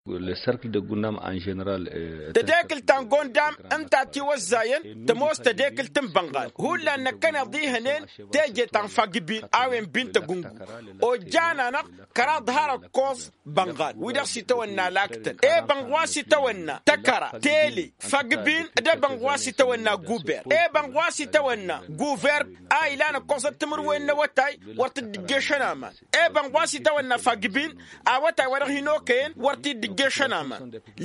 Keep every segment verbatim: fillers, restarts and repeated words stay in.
Lăsărkǝl dăgg-unnam ănženăral. Tădekǝlt ta n-gondam ǝnta a tiwăzzayăn tămoos tădekǝlt n-bănɣal hullan năkkăneḍ ihănen. Teje ta n-fagbin a-wen bin tăgǝngu ojjan-anăɣ kăraḍ har ăkkoẓ bănɣal wi-dăɣ s-itawănna laktăn. Ebănɣ wa s-itawănna tăkăra tele fagbin d-ebănɣ wa s-itawănna guber ebănɣ wa s-itawănna guver a ilan ǝkkoẓăt timǝrwen n-awătay wăr t-dd-ǝjješăn aman. Ebănɣ wa s-itawănna fagbin awătay wa dăɣ-hin-okăyăn wăr t-dd-ǝjješăn aman.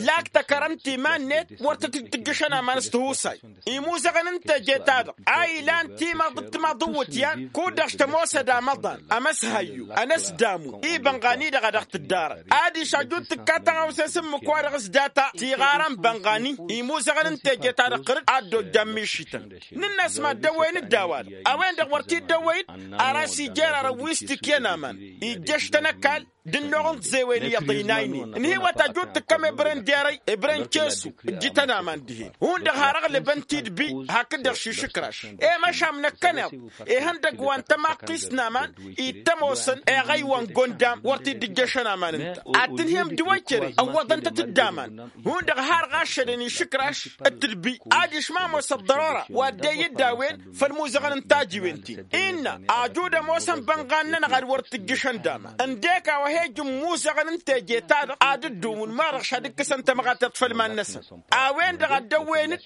Lak tăkărăm timan-net wăr tăt-dd-tǝjjăšăn aman s-tihusay. Imuzăɣăn n-teje-ta-dăɣ a ilan timaḍ d-timaḍ n-iwǝtyan kud-dăɣ s-tămoosăd amăḍan ămăshayyu ănăsdamu ibănɣani-dăɣ a dăɣ-tǝddarăn. Adiš ajut tǝkka tăɣawse s-ǝmmǝk-wa-dăɣ s-data tiɣarăn bănɣani. Imuzăɣăn n-teje-ta-dăɣ ɣǝr-dd a dd-ojjan mišităn. Nǝnn'-as mad-dăwwăyăn-dd a-wa-dăɣ a-wen-dăɣ wăr t-dd-ăwwăy-dd. Ara s-ijer arăw wi s-tikǝyăn aman ijjăš-tăn ăkall d-ǝnnuɣ n-tiẓewăyăn iyyăḍ ăynaynen ǝnhǝywăt ajut tǝkkăm ebre n-derăy ebre n-cesu ǝjjǝtăn aman dihen. Hundăɣ har ăɣlăbăn tidbi hakd-dăɣ šišǝkraš i-măšam năkkăneḍ ihăndăgg wa n-tămaqqist n-aman ittămosăn eɣăy wa n-gondam wăr t-dd-ǝjjăšăn aman ǝnta. Ad-tǝnhǝyăm dăwăy kere ăwwăḍăn-tăt-dd aman. Hundăɣ har ɣaššădăn išǝkraš d-tidbi adiš ma ămoos ăḍḍărora wa dd-eyyǝd a-wen făll-imuzăɣăn n-tajiwen-ti-n innă ajud ămoosăn bănɣan-nănăɣ ad-wăr t-ǝjjǝšăn d-aman ǝndek a-wa he-ǝjǝn imuzăɣăn n-teje-ta-dăɣ ad-ǝddǝwǝn ma-dăɣ šad-ǝkkǝsăn tămɣatăt făll-iman-năsăn. A-wen-dăɣ a dd-ăwwăyăn-dd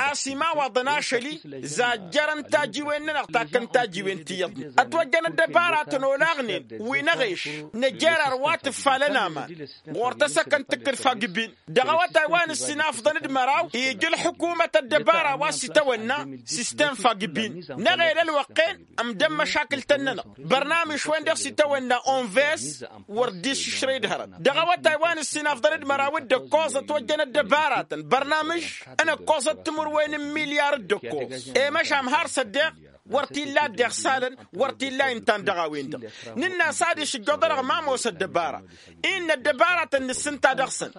a-s imawaḍăn ašăl-i zajjărăn tajiwen-nănăɣ takkăn tajiwen ti iyyăḍnen ătwăjjăn ăddăbaratăn olaɣnen wi n-eɣeš năjer ar wa tǝffalăn aman ɣur-tăsăkăn tǝkkǝd fagbin. Dăɣ-awătay wa n-ǝssin afḍăn d-măraw ija ălḥukumăt ăddăbara wa s-itawănna sistem fagbin. Năɣel ălwăqq-en ǝmdăn măšakǝl-tăn-nănăɣ bărnamǝš-wen-dăɣ s-itawănna onves wăr dd-iššǝšrăy d-hărăt dăɣ-awătay wa n-ǝssin afḍăn d-măraw d-ǝkkoẓ ătwăjjăn ăddăbaratăn bărnamǝš n-ǝkkoẓăt timǝrwen n-milyar d-ǝkkoẓ. I-măšam har s-ăddeɣ wăr t-illa ăddeɣ salăn wăr t-illa intan dăɣ-a-wen-dăɣ. Nǝnn'-as adiš ǝjjoḍ-anăɣ ma ămoos ăddăbara innă ăddăbaratăn nǝssǝnta dăɣ-săn.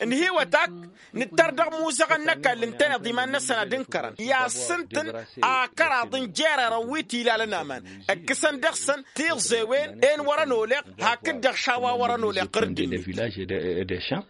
Ǝnhǝywăt-ak nǝttăr dăɣ-imuzăɣăn n-ăkall ǝntăneḍ iman-năsăn ad-ǝnkărăn i-ad-sǝntǝn akăraḍ n-jererăn wi t-ilalăn aman ǝkkǝsăn dăɣ-săn tiẓewen en wăr-ănoleɣ hakd-dăɣ šawa wăr-ănoleɣ ɣǝr-dd-net.